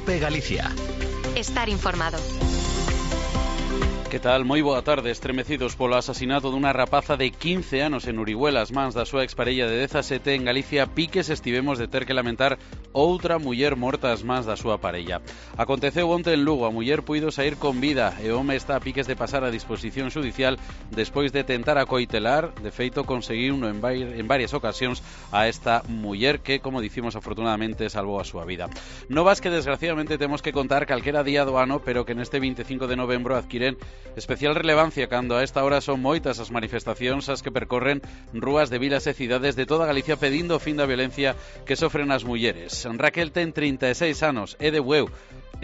COPE Galicia. Estar informado. Que tal? Moi boa tarde. Estremecidos polo asasinato dunha rapaza de 15 anos en Orihuela, as mans da súa exparella de 17 en Galicia, piques estivemos de ter que lamentar outra muller morta ás mans da súa parella. Aconteceu onte en Lugo, a muller puido sair con vida e o home está a piques de pasar a disposición judicial despois de tentar acoitelar. De feito, conseguiu en varias ocasións a esta muller que, como dicimos, afortunadamente salvou a súa vida. Novas que desgraciadamente temos que contar calquera día do ano, pero que neste 25 de novembro adquiren especial relevancia cando a esta hora son moitas as manifestacións as que percorren rúas de vilas e cidades de toda Galicia pedindo o fin da violencia que sofren as mulleres. Raquel ten 36 anos, é de Bueu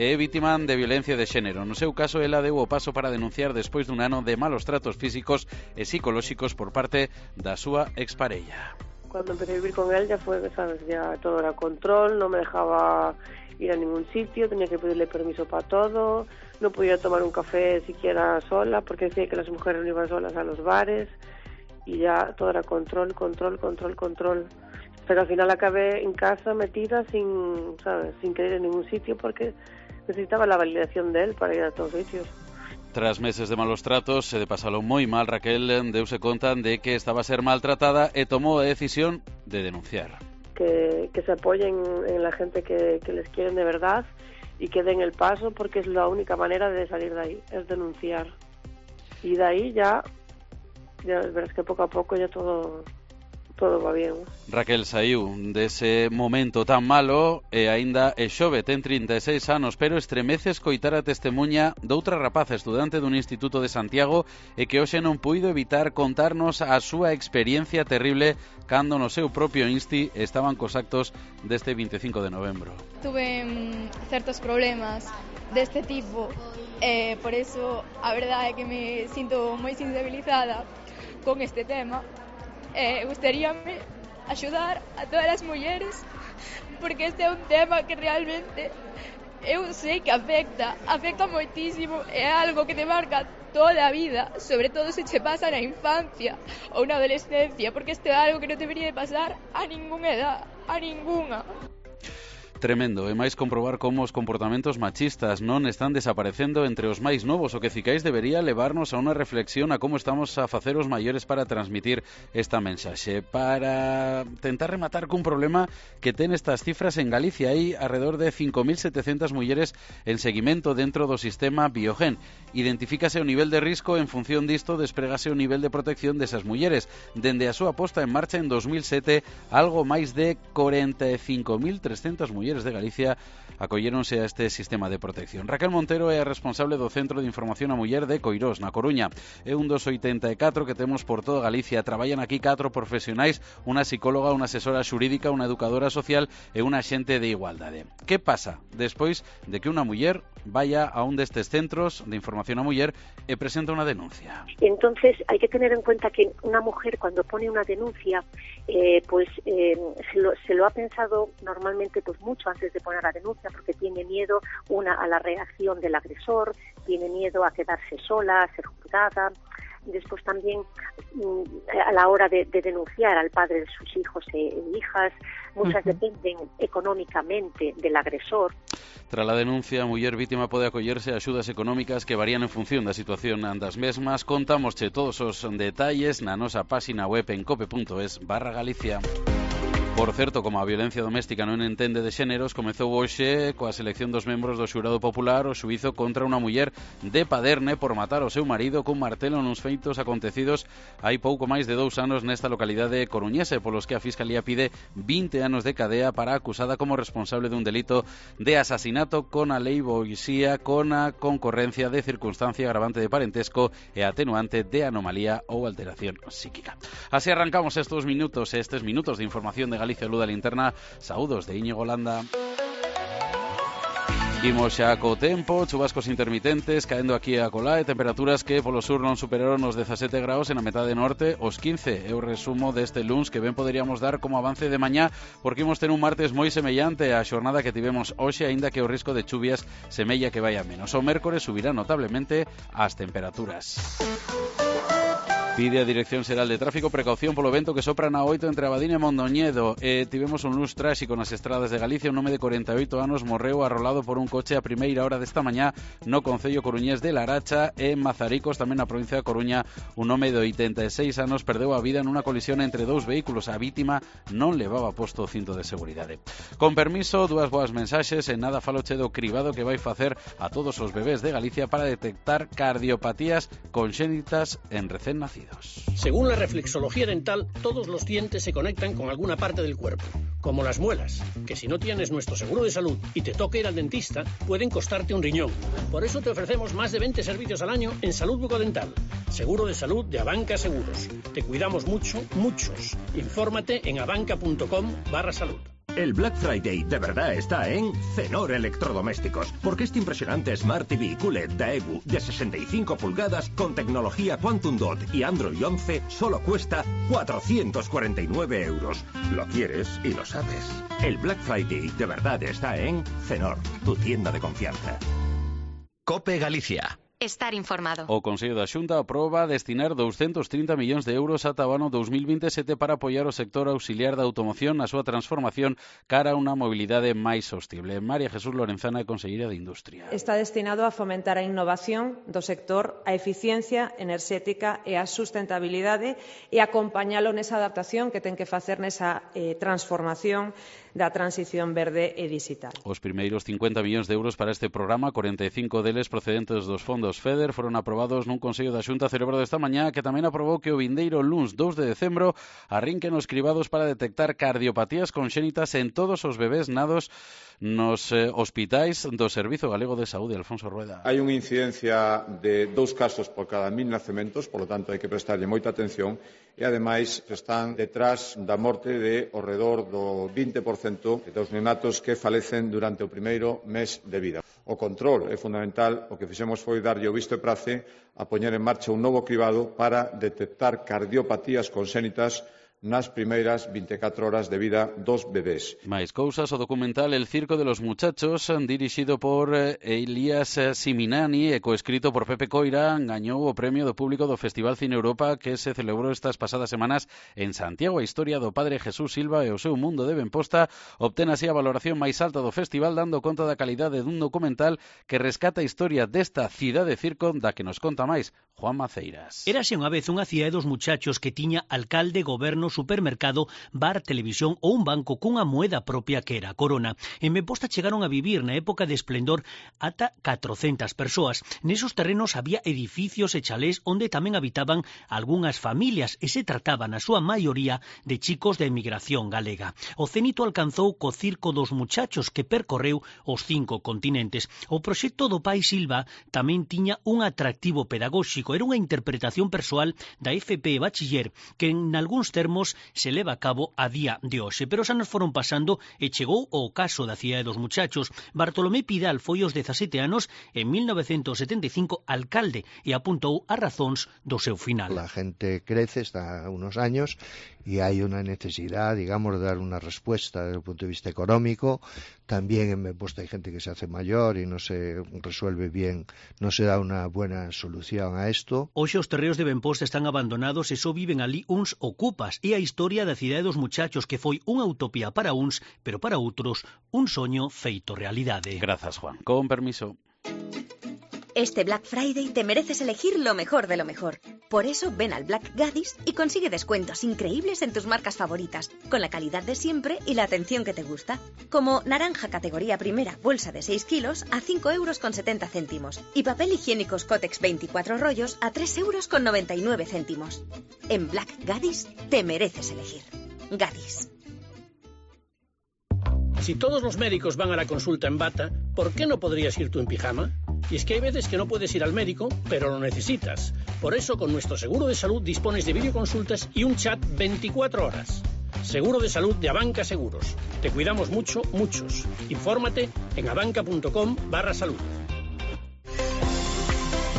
e é vítima de violencia de xénero. No seu caso, ela deu o paso para denunciar despois dun ano de malos tratos físicos e psicolóxicos por parte da súa exparella. Cuando empecé a vivir con él ya fue, sabes, ya todo era control, no me dejaba ir a ningún sitio, tenía que pedirle permiso para todo, no podía tomar un café siquiera sola, porque decía que las mujeres no iban solas a los bares, y ya todo era control. Pero al final acabé en casa metida sin, ¿sabes?, sin querer ir a ningún sitio, porque necesitaba la validación de él para ir a todos sitios. Tras meses de malos tratos e de pasalo moi mal, Raquel deuse conta de que estaba a ser maltratada e tomou a decisión de denunciar. Que se apoyen en la gente que les quieren de verdad y que den el paso, porque es la única manera de salir de ahí, es denunciar. Y de ahí ya verás que poco a poco ya todo va bien. Raquel saiu dese momento tan malo e aínda é xove, ten 36 anos, pero estremece escoitar a testemuña doutra rapaza estudante dun instituto de Santiago e que hoxe non puido evitar contarnos a súa experiencia terrible cando no seu propio insti estaban cos actos deste 25 de novembro. Tuve certos problemas deste tipo e por eso a verdade é que me sinto moi sensibilizada con este tema. Gustaríame axudar a todas as mulleres, porque este é un tema que realmente eu sei que afecta moitísimo, é algo que te marca toda a vida, sobre todo se che pasa na infancia ou na adolescencia, porque este é algo que non debería de pasar a ningunha edad, a ningunha. Tremendo, e máis comprobar como os comportamentos machistas non están desaparecendo entre os máis novos, o que cicais debería levarnos a unha reflexión a como estamos a facer os maiores para transmitir esta mensaxe. Para tentar rematar cun problema que ten estas cifras en Galicia, hai alrededor de 5.700 mulleres en seguimento dentro do sistema Biogen. Identifícase o nivel de risco, en función disto despregase o nivel de protección desas mulleres. Dende a súa posta en marcha en 2007, algo máis de 45.300 mulleres de Galicia acolléronse a este sistema de protección. Raquel Montero é a responsable do Centro de Información a Muller de Coirós, na Coruña. É un dos 84 que temos por toda Galicia. Traballan aquí 4 profesionais, unha psicóloga, unha asesora xurídica, unha educadora social e unha axente de igualdade. Que pasa despois de que unha muller vaya a un destes centros de información a muller e presenta unha denuncia? Entonces hay que tener en cuenta que una mujer cuando pone una denuncia se lo ha pensado normalmente pues mucho antes de poner la denuncia, porque tiene miedo a la reacción del agresor, tiene miedo a quedarse sola, a ser juzgada. Después también a la hora de denunciar al padre de sus hijos e hijas, muchas dependen económicamente del agresor. Tras a denuncia, a muller vítima pode acollerse a axudas económicas que varían en función da situación das mesmas. Contámosche todos os detalles na nosa páxina web en cope.es/Galicia. Por certo, como a violencia doméstica non entende de xéneros, comezou hoxe coa selección dos membros do xurado popular o xuízo contra unha muller de Paderne por matar o seu marido cun martelo nuns feitos acontecidos hai pouco máis de 2 anos nesta localidade coruñesa, polos que a Fiscalía pide 20 anos de cadea para a acusada como responsable dun delito de asasinato con aleivoxía, con a concorrencia de circunstancia agravante de parentesco e atenuante de anomalía ou alteración psíquica. Así arrancamos estes minutos de información de Galicia Luz da Linterna. Saúdos de Íñigo Landa. Imos xa co tempo, chubascos intermitentes caendo aquí a colá e temperaturas que polo sur non superaron os 17 graus e na metade norte os 15. É o resumo deste luns que ben poderíamos dar como avance de mañá, porque imos ter un martes moi semellante á xornada que tivemos hoxe, aínda que o risco de chuvias semella que vai a menos. O mércores subirá notablemente as temperaturas. Pide a Dirección Xeral de Tráfico precaución polo vento que sopra na 8 entre Abadín e Mondoñedo. Tivemos un luns tráxico nas estradas de Galicia. Un home de 48 anos morreu arrolado por un coche a primeira hora desta mañá no concello coruñés de Laracha e Mazaricos, tamén na provincia de Coruña. Un home de 86 anos perdeu a vida nunha colisión entre dous vehículos. A vítima non levaba posto o cinto de seguridade. Con permiso, dúas boas mensaxes. En nada faloche do cribado que vai facer a todos os bebés de Galicia para detectar cardiopatías conxénitas en recén nacidos. Según la reflexología dental, todos los dientes se conectan con alguna parte del cuerpo, como las muelas, que si no tienes nuestro seguro de salud y te toca ir al dentista, pueden costarte un riñón. Por eso te ofrecemos más de 20 servicios al año en salud bucodental. Seguro de salud de Abanca Seguros. Te cuidamos mucho, muchos. Infórmate en abanca.com/salud. El Black Friday de verdad está en Cenor Electrodomésticos, porque este impresionante Smart TV QLED Daewoo de 65 pulgadas con tecnología Quantum Dot y Android 11 solo cuesta 449 euros. Lo quieres y lo sabes. El Black Friday de verdad está en Cenor, tu tienda de confianza. COPE Galicia. Estar informado. O Consello da Xunta aproba destinar 230 millóns de euros ata o ano 2027 para apoiar o sector auxiliar da automoción na súa transformación cara a unha mobilidade máis sostible. María Jesús Lorenzana, conselleira de Industria. Está destinado a fomentar a innovación do sector, a eficiencia enerxética e a sustentabilidade e acompañalo nesa adaptación que ten que facer nesa transformación da transición verde e digital. Os primeiros 50 millóns de euros para este programa, 45 deles procedentes dos fondos FEDER, foron aprobados nun Consello da Xunta celebrado esta mañá, que tamén aprobou que o vindeiro luns 2 de decembro arrinquen os cribados para detectar cardiopatías conxénitas en todos os bebés nados nos hospitais do Servizo Galego de Saúde. Alfonso Rueda. Hai unha incidencia de 2 casos por cada 1000 nacementos, por lo tanto hai que prestarlle moita atención e ademais están detrás da morte de ao redor do 20% dos neonatos que falecen durante o primeiro mes de vida. O control é fundamental. O que fixemos foi darlle o visto e prace a poñer en marcha un novo cribado para detectar cardiopatías conxénitas nas primeiras 24 horas de vida dos bebés. Mais cousas, o documental El circo de los muchachos, dirixido por Elías Siminani e coescrito por Pepe Coira, gañou o premio do público do Festival Cine Europa que se celebrou estas pasadas semanas en Santiago. A historia do padre Jesús Silva e o seu mundo de Benposta obtén así a valoración máis alta do festival, dando conta da calidade dun documental que rescata a historia desta cidade circo da que nos conta máis Juan Maceiras. Érase unha vez unha cidade dos muchachos que tiña alcalde, goberno, supermercado, bar, televisión ou un banco cunha moeda propia que era a corona. En Benposta chegaron a vivir na época de esplendor ata 400 persoas. Nesos terrenos había edificios e chalés onde tamén habitaban algunhas familias e se trataba na súa maioría de chicos da emigración galega. O cénito alcanzou co Circo dos Muchachos que percorreu os 5 continentes. O proxecto do pai Silva tamén tiña un atractivo pedagóxico. Era unha interpretación persoal da FP Bachiller que en algúns termos se leva a cabo a día de hoxe. Pero os anos foron pasando e chegou o caso da cidade dos muchachos. Bartolomé Pidal foi aos 17 anos en 1975 alcalde e apuntou as razóns do seu final. La gente crece, está unos años y hay una necesidad, digamos, de dar una respuesta desde el punto de vista económico. También en Benposta hay gente que se hace mayor y no se resuelve bien, no se da una buena solución a esto. Hoxe os terreos de Benposta están abandonados e só viven ali uns ocupas. E a historia da cidade dos muchachos que foi unha utopía para uns, pero para outros un soño feito realidade. Grazas, Juan. Con permiso. Este Black Friday te mereces elegir lo mejor de lo mejor. Por eso ven al Black Gadis y consigue descuentos increíbles en tus marcas favoritas, con la calidad de siempre y la atención que te gusta. Como naranja categoría primera, bolsa de 6 kilos a 5,70 €. Y papel higiénico Kotex 24 rollos a 3,99 €. En Black Gadis te mereces elegir. Gadis. Si todos los médicos van a la consulta en bata, ¿por qué no podrías ir tú en pijama? Y es que hay veces que no puedes ir al médico, pero lo necesitas. Por eso, con nuestro seguro de salud dispones de videoconsultas y un chat 24 horas. Seguro de salud de Abanca Seguros. Te cuidamos mucho, muchos. Infórmate en abanca.com/salud.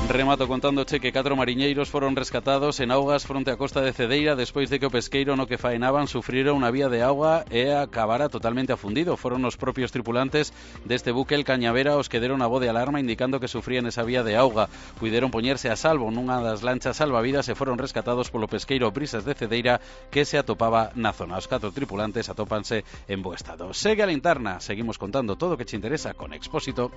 Remato contándoche que 4 mariñeiros foron rescatados en augas fronte á costa de Cedeira despois de que o pesqueiro no que faenaban sufrira unha vía de auga e acabara totalmente afundido. Foron os propios tripulantes deste buque el Cañavera os que deron a voz de alarma indicando que sufrían esa vía de auga. Puideron poñerse a salvo nunha das lanchas salvavidas e foron rescatados polo pesqueiro Brisas de Cedeira que se atopaba na zona. Os 4 tripulantes atópanse en bo estado. Segue a linterna, seguimos contando todo o que che interesa con Expósito.